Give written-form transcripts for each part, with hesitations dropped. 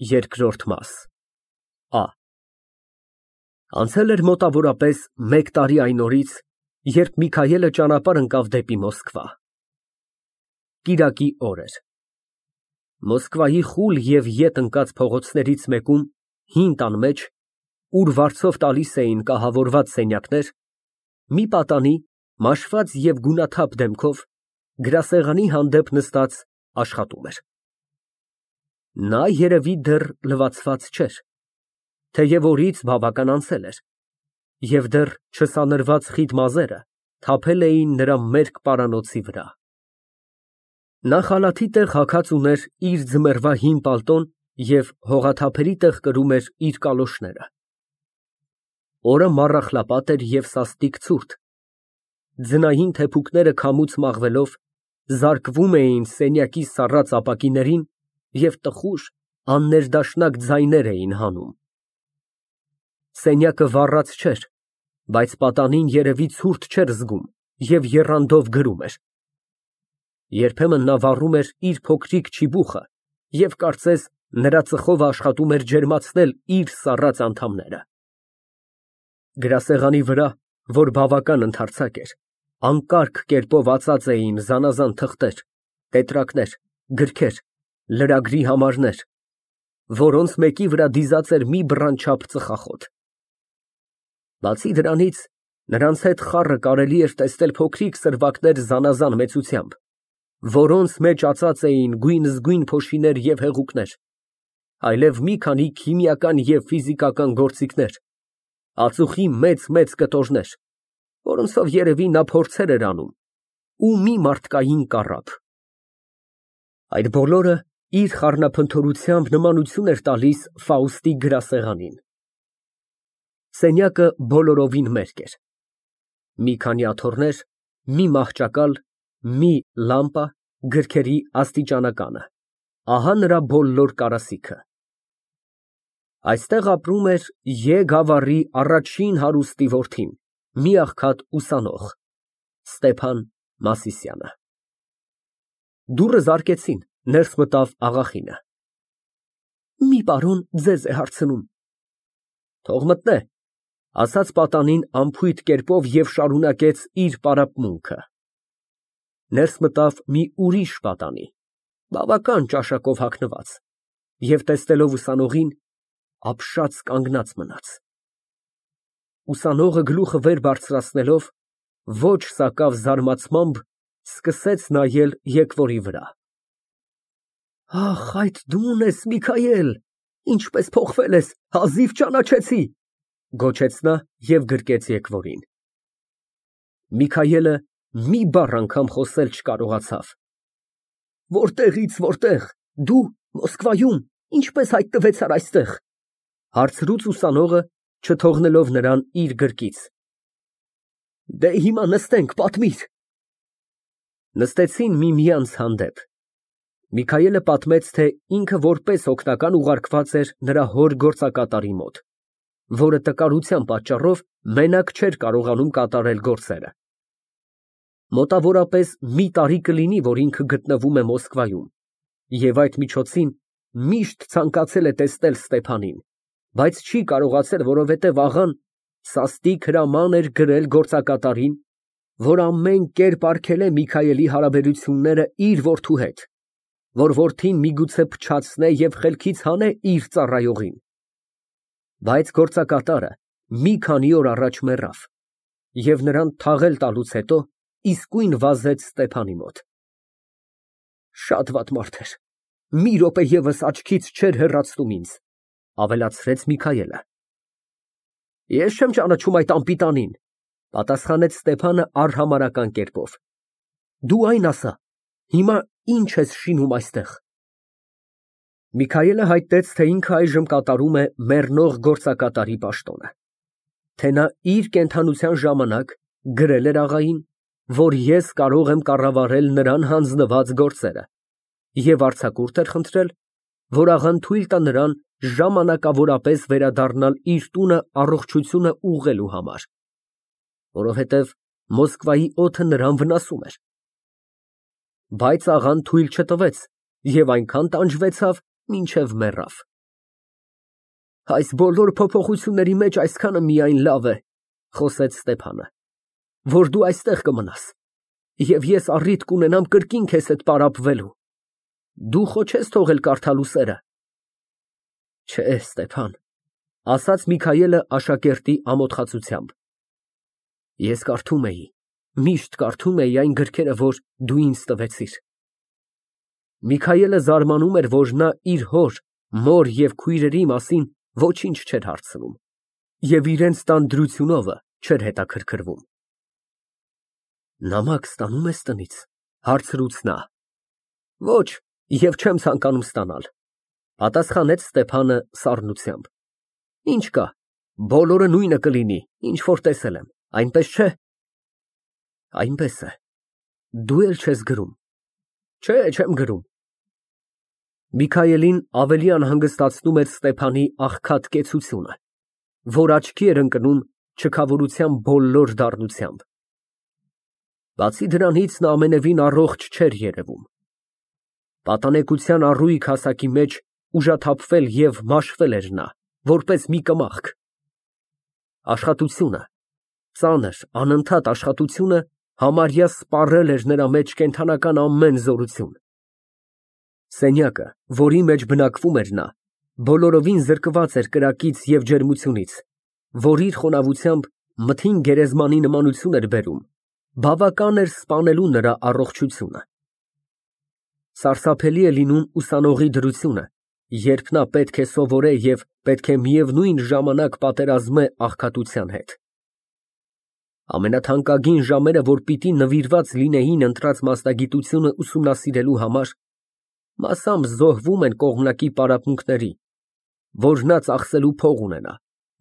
ԵՐԿՐՈՐԴ Ա Անցել էր մոտավորապես մեկ տարի այն օրից, երբ Միքայելը ճանապարհ ընկավ դեպի Մոսկվա։ Կիրակի օր էր։ Մոսկվայի խուլ և ետ ընկած փողոցներից մեկում, հին տան մեջ, ուր վարձով տալիս էին կահավորված սենյակներ, մի պատանի, մաշված և գունաթափ դեմքով, գրասեղանի հանդեպ նստած աշխատում էր։ Նա երևի դեռ լվացված չէր, թեև օրից բավական անցել էր, և դեռ չսանրված խիտ մազերը թափել էին նրա մերկ պարանոցի վրա։ Նա խալաթի տեղ հագած ուներ իր ձմեռվա հին պալտոն և հողաթափերի տեղ կրում էր իր կալոշները։ Օրը մառախլապատ էր և սաստիկ ցուրտ, ձնային թեփուկները քամուց մաղվելով, զարկվում էին սենյակի սառած ապակիներին և տխուր, աններդաշնակ ձայներ էին հանում։ Սենյակը վառած չէր, բայց պատանին երևի ցուրտ չէր զգում և եռանդով գրում էր։ Երբեմն նա վառում էր իր փոքրիկ չիբուխը և կարծես նրա ծխովը աշխատում էր ջերմացնել իր սառած անդամները։ Գրասեղանի վրա, որ բավական ընդարձակ էր, անկարգ կերպով ածած էին զանազան թղթեր, տետրակներ, գրքեր, լրագրի համարներ, որոնց մեկի վրա դիզած էր մի բռանչափ ծխախոտ։ Բացի դրանից, նրանց հետ խառը կարելի էր տեսնել փոքրիկ սրվակներ զանազան մեծությամբ, որոնց մեջ ածած էին գույնզգույն փոշիներ և հեղուկներ, այլև մի քանի քիմիական և ֆիզիկական գործիքներ, ածուխի մեծ կտորներ, որոնցով երևի նա փորձեր էր անում, ու մի մարդկային կառափ։ Այդ բոլորը իր խառնափնթորությամբ նմանություն էր տալիս Ֆաուստի գրասեղանին։ Սենյակը բոլորովին մերկ էր։ Մի քանի աթոռներ, մի մահճակալ, մի լամպա, գրքերի աստիճանականը, ահա նրա բոլոր կարասիքը։ Այստեղ ապրում էր Ե գավառի առաջին հարուստի որդին, մի աղքատ ուսանող, Ստեփան Մասիսյանը։ Դուռը զարկեցին, ներս մտավ աղախինը։ Մի պարոն ձեզ է հարցնում։ Թող մտնե, ասաց պատանին անփույթ կերպով և շարունակեց իր պարապմունքը։ Ներս մտավ մի ուրիշ պատանի, բավական ճաշակով հագնված, և տեսնելով ուսանողին, ապշած կանգնած մնաց։ Ուսանողը գլուխը վեր բարձրացնելով, ոչ սակավ զարմացմամբ, սկսեց նայել եկվորի վրա։ Ախ, այդ դու ես, Միքայել, ինչպես փոխվել ես, հազիվ ճանաչեցի, գոչեց նա և գրկեց եկվորին։ Միքայելը մի բառ անգամ խոսել չկարողացավ։ Որտեղից որտեղ, դու Մոսկվայում ինչպես հայտնվեցար այստեղ, հարցրուց ուսանողը, չթողնելով նրան իր գրկից։ Դե հիմա նստենք, պատմիր։ Նստեցին միմյանց հանդեպ։ Միքայելը պատմեց, թե ինքը որպես օգնական ուղարկված էր նրա հոր գործակատարի մոտ, որը տկարության պատճառով մենակ չէր կարողանում կատարել գործերը։ Մոտավորապես մի տարի կլինի, որ ինքը գտնվում է Մոսկվայում, և այդ միջոցին միշտ ցանկացել է տեսնել Ստեփանին, բայց չի կարողացել, որովհետև աղան սաստիկ հրաման էր գրել գործակատարին, որ ամեն կերպ արգելե Միքայելի հարաբերությունները իր որդու հետ, որ որդին միգուցե փչացնե և խելքից հանե իր ծառայողին։ Բայց գործակատարը մի քանի օր առաջ մեռավ, և նրան թաղել տալուց հետո իսկույն վազեց Ստեփանի մոտ։ Շատ վատ մարդ էր, մի րոպե ևս աչքից չէր հեռացնում ինձ, ավելացրեց Միքայելը։ Ես չեմ ճանաչում այդ անպիտանին, պատասխանեց Ստեփանը արհամարհական կերպով։ Դու այն ասա, հիմա ինչ ես շինում այստեղ։ Միքայելը հայտնեց, թե ինքը այժմ կատարում է մեռնող գործակատարի պաշտոնը, թե նա իր կենդանության ժամանակ գրել էր աղային, որ ես կարող եմ կառավարել նրան հանձնված գործերը, և արձակուրդ էր խնդրել, որ աղան թույլ տա նրան ժամանակավորապես վերադառնալ իր տունը առողջությունը ուղղելու համար, որովհետև Մոսկվայի օդը նրան վնասում էր։ Բայց աղան թույլ չտվեց և այնքան տանջվեցավ, մինչև մեռավ։ Այս բոլոր փոփոխությունների մեջ այսքանը միայն լավ է, խոսեց Ստեփանը, որ դու այստեղ կմնաս, և ես առիթ կունենամ կրկին քեզ հետ պարապվելու։ Դու խո չես թողել կարդալու սերը։ Չէ, Ստեփան, ասաց Միքայելը աշակերտի ամոթխածությամբ։ Ես կարդում էի, միշտ կարդում էի այն գրքերը, որ դու ինձ տվեցիր։ Միքայելը զարմանում էր, որ նա իր հոր, մոր և քույրերի մասին ոչինչ չէր հարցնում և իրենց տան դրությունովը չէր հետաքրքրվում։ Նամակ ստանում ես տնից, հարցրուց նա։ Ոչ, և չեմ ցանկանում ստանալ, պատասխանեց Ստեփանը սառնությամբ։ Ինչ կա, բոլորը նույնը կլինի, ինչ որ տեսել եմ, այնպես չէ։ Այնպես է, դու էլ չես գրում։ Չէ, չեմ գրում։ Միքայելին ավելի անհանգստացնում էր Ստեփանի աղքատ կեցությունը, որ աչքի էր ընկնում չքավորության բոլոր դառնությամբ։ Բացի դրանից նա ամենևին առողջ չէր երևում։ Պատանեկության առույգ հասակի մեջ ուժաթափվել և մաշվել էր նա, որպես մի կմախք։ Աշխատությունը, ծանր, անընդհատ աշխատությունը համարյա սպառել էր նրա մեջ կենդանական ամեն զորություն։ Սենյակը, որի մեջ բնակվում էր նա, բոլորովին զրկված էր կրակից և ջերմությունից, որ իր խոնավությամբ մթին գերեզմանի նմանություն էր բերում, բավական էր սպանելու նրա առողջությունը։ Սարսափելի է լինում ուսանողի դրությունը, երբ նա պետք է սովորե և պետք է միևնույն ժամանակ պատերազմե աղքատության հետ։ Ամենաթանկագին ժամերը, որ պիտի նվիրված լինեին ընտրած մասնագիտությունը ուսումնասիրելու համար, մասամբ զոհվում են կողմնակի պարապմունքների, որ նա ծախսելու փող ունենա,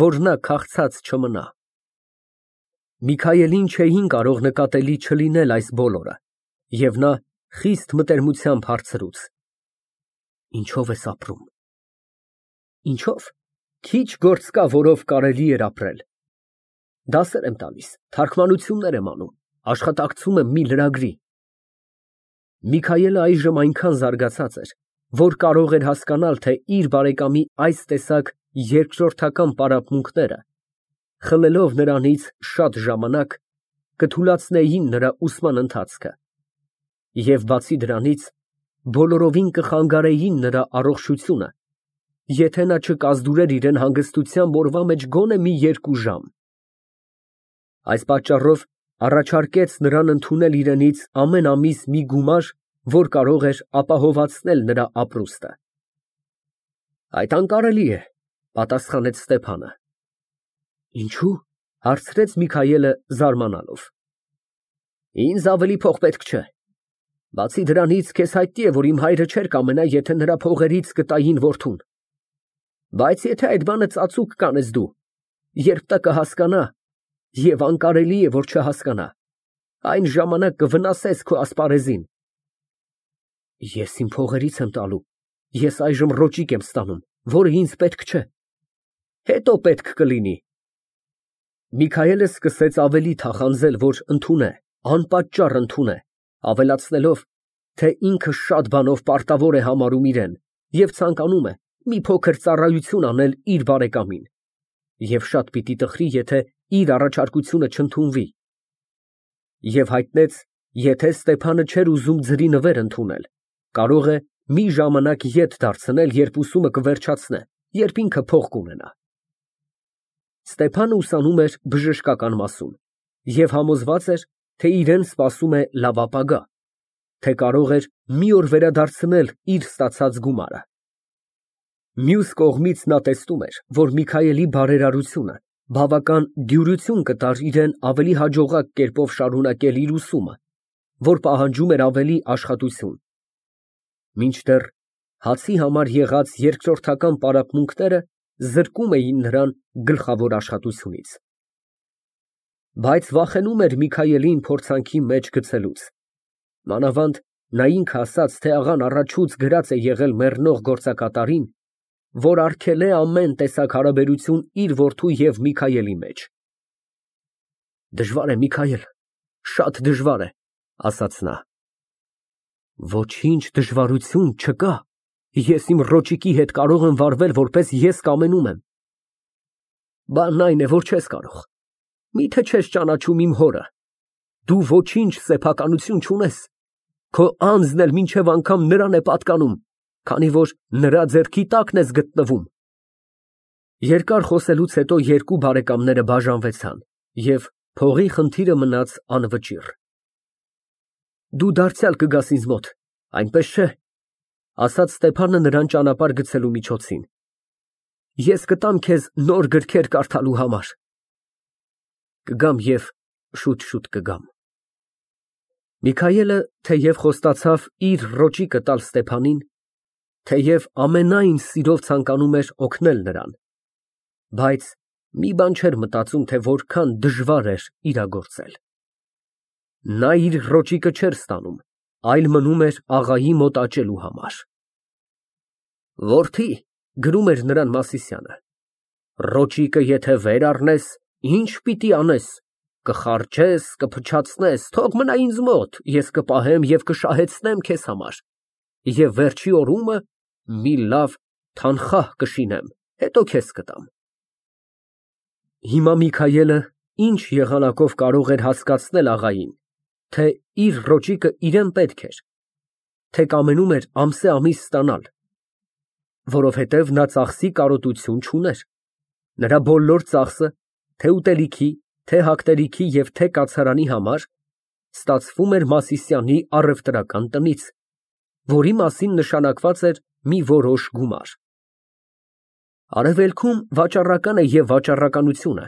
որ նա քաղցած չմնա։ Միքայելին չէին կարող նկատելի չլինել այս բոլորը, և նա խիստ մտերմությամբ հարցրուց. Ինչո՞վ ես ապրում։ Ինչո՞վ։ Քիչ գործ կա, որով կարելի էր ապրել։ Դասեր եմ տալիս, թարգմանություններ եմ անում, աշխատակցում եմ մի լրագրի։ Միքայելը այժմ այնքան զարգացած էր, որ կարող էր հասկանալ, թե իր բարեկամի այս տեսակ երկրորդական պարապմունքները, խլելով նրանից շատ ժամանակ, կթուլացնեին նրա ուսման ընթացքը և բացի դրանից, բոլորովին կխանգարեին նրա առողջությունը, եթե նա չկազդուրեր իրան հանգստությամբ օրվա մեջ գոնե մի 2 ժամ։ Այս պատճառով առաջարկեց նրան ընդունել իրենից ամեն ամիս մի գումար, որ կարող էր ապահովացնել նրա ապրուստը։ Այդ անկարելի է, պատասխանեց Ստեփանը։ Ինչու՞, հարցրեց Միքայելը զարմանալով։ Ինձ ավելի փող պետք չէ։ Բացի դրանից, քեզ հայտնի է, որ իմ հայրը չէր կամենա, եթե նրա փողերից կտային որդուն։ Բայց եթե այդ բանը ծածուկ կանես դու, երբ տա կհասկանա, և անկարելի է, որ չհասկանա, այն ժամանակ կվնասես քո ասպարեզին։ Ես իմ փողերից եմ տալու, ես այժմ ռոճիկ եմ ստանում, որը ինձ պետք չէ։ Հետո պետք կլինի։ Միքայելը սկսեց ավելի թախանձել, որ ընդունե, անպատճառ ընդունե, ավելացնելով, թե ինքը շատ բանով պարտավոր է համարում իրեն և ցանկանում է մի փոքր ծառայություն անել իր բարեկամին և շատ պիտի տխրի, եթե իր առաջարկությունը չընդունվի, և հայտնեց, եթե Ստեփանը չէր ուզում ձրի նվեր ընդունել, կարող է մի ժամանակ ետ դարձնել, երբ ուսումը կվերջացնե, երբ ինքը փող կունենա։ Ստեփանը ուսանում էր բժշկական մասում և համոզված էր, թե իրեն սպասում է լավ ապագա, թե կարող էր մի օր վերադարձնել իր ստացած գումարը։ Մյուս կողմից նա տեսնում էր, որ Միքայելի բարերարությունը բավական դյուրություն կտար իրան ավելի հաջողակ կերպով շարունակել իր ուսումը, որ պահանջում էր ավելի աշխատություն։ Մինչդեռ հացի համար եղած երկրորդական պարապմունքները զրկում էին նրան գլխավոր աշխատությունից։ Բայց վախենում էր Միքայելին փորձանքի մեջ գցելուց։ Մանավանդ նա ինքը ասաց, թե աղան առաջուց գրած է եղել մեռնող գործակատարին, որ արգել է ամեն տեսակ հարաբերություն իր որդու և Միքայելի մեջ։ Դժվար է, Միքայել, շատ դժվար է, ասաց նա։ Ոչինչ դժվարություն չկա։ Ես իմ ռոճիկի հետ կարող եմ վարվել, որպես ես կամենում եմ։ Բանն այն է, որ չես կարող։ Միթե չես ճանաչում իմ հորը։ Դու ոչինչ սեփականություն չունես։ Քո անձն էլ մինչև անգամ նրան է պատկանում, քանի որ նրա ձեռքի տակն ես գտնվում։ Երկար խոսելուց հետո երկու բարեկամները բաժանվեցան, և փողի խնդիրը մնաց անվճիռ։ Դու դարձյալ կգաս ինձ մոտ, այնպես չէ՞, ասաց Ստեփանը նրան ճանապարհ գցելու միջոցին։ Ես կտամ քեզ նոր գրքեր կարդալու համար։ Կգամ և շուտ կգամ։ Միքայելը թեև խոստացավ իր ռոճիկը տալ Ստեփանին, թեև ամենայն սիրով ցանկանում էր օգնել նրան, բայց մի բան չէր մտածում, թե որքան դժվար էր իրագործել։ Նա իր ռոճիկը չէր ստանում, այլ մնում էր աղայի մոտ աճելու համար։ Որդի, գրում էր նրան Մասիսյանը, ռոճիկը եթե վեր առնես, ինչ պիտի անես, կխառչես, կփչացնես, թող մնա ինձ մոտ, ես կպահեմ և կշահեցնեմ քեզ համար, և վերջի օրումը մի լավ թանխահ կշինեմ, հետո քեզ կտամ։ Հիմա Միքայելը ինչ եղանակով կարող էր հասկացնել աղային, թե իր ռոճիկը իրան պետք էր, թե կամենում էր ամսեամիս ստանալ, որովհետև նա ծախսի կարոտություն չուներ։ Նրա բոլոր ծախսը, թե ուտելիքի, թե հագնելիքի և թե կացարանի համար, ստացվում էր Մասիսյանի առևտրական տնից, որի մասին նշանակված էր մի որոշ գումար։ Արևելքում վաճառականը և վաճառականությունը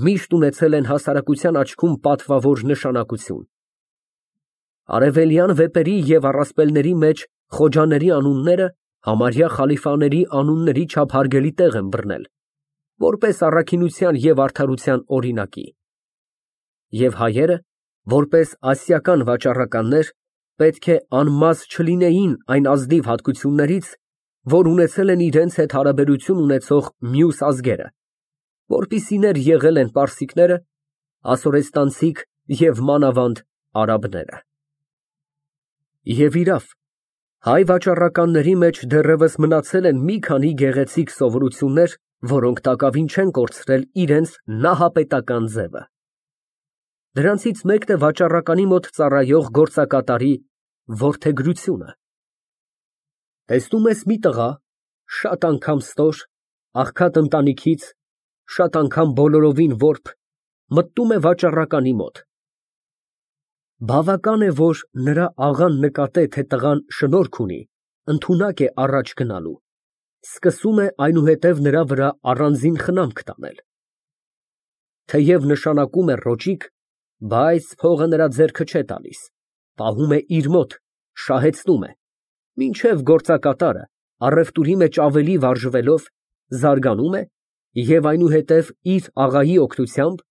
միշտ ունեցել են հասարակության աչքում պատվավոր նշանակություն։ Արևելյան վեպերի և առասպելների մեջ խոջաների անունները համարյա խալիֆաների անունների չափ հարգելի տեղ են բռնել, որպես առաքինության և արդարության օրինակի։ Եվ հայերը, որպես ասիական վաճառականներ, պետք է անմազ չլինեին այն ազնիվ հատկություններից, որ ունեցել են իրենց հետ հարաբերություն ունեցող մյուս ազգերը, որպիսիներ եղել են պարսիկները, ասորեստանցիք և մանավանդ արաբները։ Եվ իրավ, հայ վաճառականների մեջ դեռևս մնացել են մի քանի գեղեցիկ սովորություններ, որոնք տակավին չեն կորցրել իրենց նահապետական ձևը։ Դրանցից մեկն է վաճառականի մոտ ծառայող գործակատարի որդեգրությունը։ Տեսնում ես մի տղա, շատ անգամ ստոր, աղքատ ընտանիքից, շատ անգամ բոլորովին որբ, մտնում է վաճառականի մոտ։ Բավական է, որ նրա աղան նկատե, թե տղան շնորք ունի, ընդունակ է առաջ գնալու, սկսում է այնուհետև նրա վրա առանձին խնամք տանել։ Թեև նշանակում է ռոճիկ, բայց փողը նրա ձեռքը չէ տալիս, պահում է իր մոտ, շահեցնում է, մինչև գործակատարը, առևտուրի մեջ ավելի վարժվելով, զարգանում է և այնուհետև իր աղայի օգնությամբ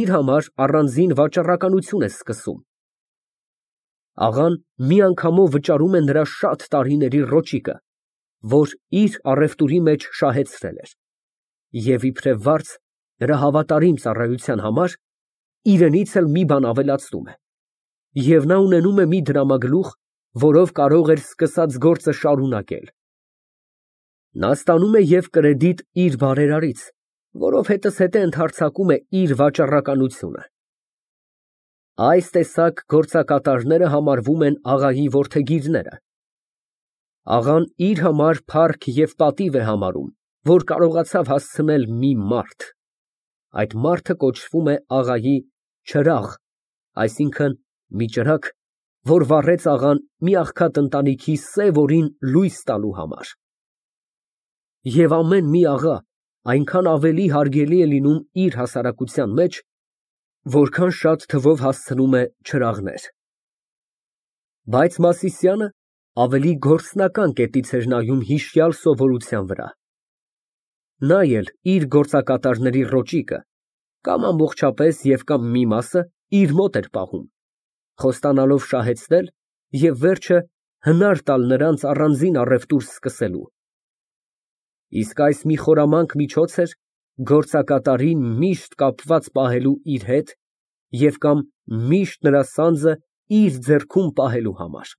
իր համար առանձին վաճառականություն է սկսում։ Աղան մի անգամով վճարում է նրա շատ տարիների ռոճիկը, որ իր առևտուրի մեջ շահեցրել էր, և իբրև վարձ նրա հավատարիմ ծառայության համար իրենից էլ մի բան ավելացնում է, և նա ունենում է մի դրամագլուխ, որով կարող էր սկսած գործը շարունակել։ Նա ստանում է և կրեդիտ իր բարերարից, որով հետզհետե ընդհարձակում է իր վաճառականությունը։ Այս տեսակ գործակատարները համարվում են աղայի որդեգիրները։ Աղան իր համար փառք և պատիվ է համարում, որ կարողացավ հասցնել մի մարդ։ Այդ մարդը կոչվում է աղայի չրաղ, այսինքն՝ մի ճրագ, որ վառեց աղան մի աղքատ ընտանիքի սև օրին լույս տալու համար։ Եվ ամեն մի աղա այնքան ավելի հարգելի է լինում իր հասարակության մեջ, որքան շատ թվով հասցնում է չրաղներ։ Բայց Մասիսյանը ավելի գործնական կետից էր նայում հիշյալ սովորության վրա։ Նա էլ իր գործակատարների ռոճիկը կամ ամբողջապես և կամ մի մասը իր մոտ էր պահում, խոստանալով շահեցնել և վերջը հնար տալ նրանց առանձին առևտուր սկսելու։ Իսկ այս մի խորամանկ միջոց էր գործակատարին միշտ կապված պահելու իր հետ և կամ միշտ նրա սանձը իր ձեռքում պահելու համար։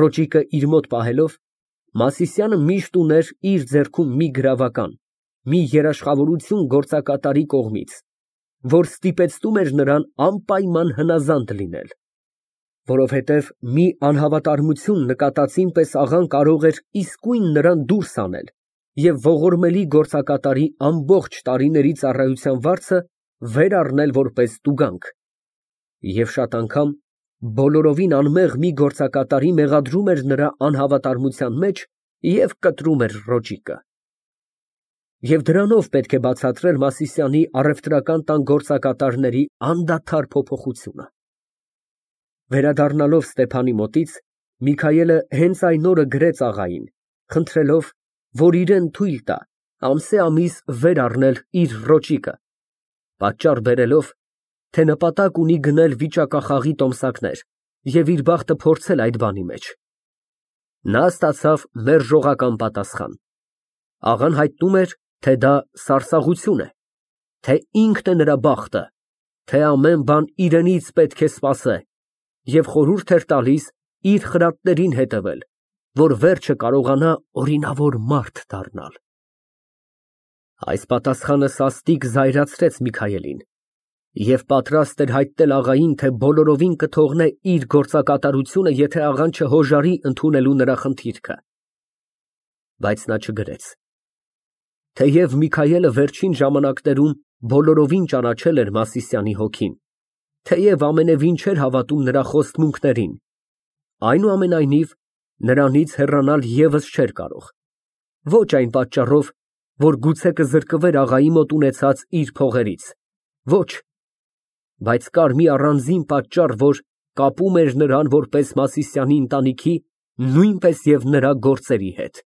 Ռոճիկը իր մոտ պահելով, Մասիսյանը միշտ ուներ իր ձեռքում մի գրավական, մի երաշխավորություն գործակատարի կողմից, որ ստիպեցնում էր նրան անպայման հնազանդ լինել, որովհետև մի անհավատարմություն նկատածին պես աղան կարող էր իսկույն նրան դուրս անել և ողորմելի գործակատարի ամբողջ տարիների ծառայության վարձը վեր առնել որպես տուգանք, և շատ անգամ բոլորովին անմեղ մի գործակատարի մեղադրում էր նրա անհավատարմության մեջ և կտրում էր ռոճիկը։ Եվ դրանով պետք է բացատրել Մասիսյանի առևտրական տան գործակատարների անդադար փոփոխությունը։ Վերադառնալով Ստեփանի մոտից, Միքայելը հենց այն օրը գրեց աղային, խնդրելով, որ իրան թույլ տա ամսեամիս վեր առնել իր ռոճիկը, պատճառ բերելով, թե նպատակ ունի գնել վիճակախաղի տոմսակներ և իր բախտը փորձել այդ բանի մեջ։ Նա ստացավ մերժողական պատասխան։ Աղան հայտնում էր, թե դա սարսափություն է, թե ինքն է նրա բախտը, թե ամեն բան իրենից պետք է սպասե, և խորհուրդ էր տալիս իր խրատներին հետևել, որ վերջը կարողանա օրինավոր մարդ դառնալ։ Այս պատասխանը սաստիկ զայրացրեց Միքայելին և պատրաստ էր հայտնել աղային, թե բոլորովին կթողնե իր գործակատարությունը, եթե աղան չհոժարի ընդունելու նրա խնդիրքը։ Բայց նա չգրեց։ Թեև Միքայելը վերջին ժամանակներում բոլորովին ճանաչել էր Մասիսյանի հոգին, թեև ամենևին չէր հավատում նրա խոստմունքներին, այնուամենայնիվ նրանից հեռանալ ևս չէր կարող, ոչ այն պատճառով, որ գուցե կզրկվեր աղայի մոտ ունեցած իր փողերից, ոչ, բայց կար մի առանձին պատճառ, որ կապում էր նրան որպես Մասիսյանի ընտանիքի, նույնպես և նրա գործերի հետ։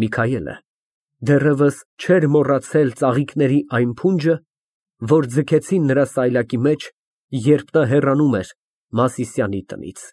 Միքայելը դեռևս չէր մոռացել ծաղիկների այն փունջը, որ ձգեցին նրա սայլակի մեջ, երբ նա հեռանում էր Մասիսյանի տնից։